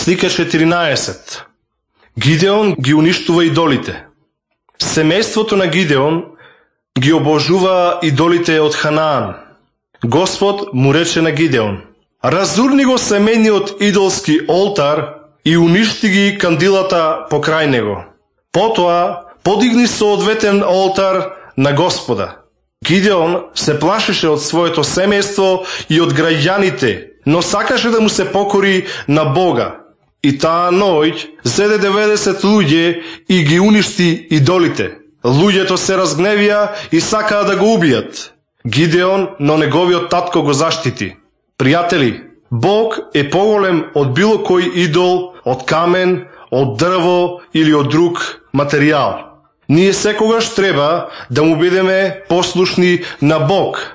Слика 14. Гидеон ги уништува идолите. Семејството на Гидеон ги обожува идолите од Ханаан. Господ му рече на Гидеон: разурни го семејниот идолски олтар и уништи ги кандилата покрај него. Потоа подигни соодветен олтар на Господа. Гидеон се плашеше од своето семејство и од граѓаните, но сакаше да му се покори на Бога. И таа ноќ зеде 90 луѓе и ги уништи идолите. Луѓето се разгневија и сакаа да го убијат. Гидеон, но неговиот татко го заштити. Пријатели, Бог е поголем од било кој идол, од камен, од дрво или од друг материјал. Ние секогаш треба да му бидеме послушни на Бог.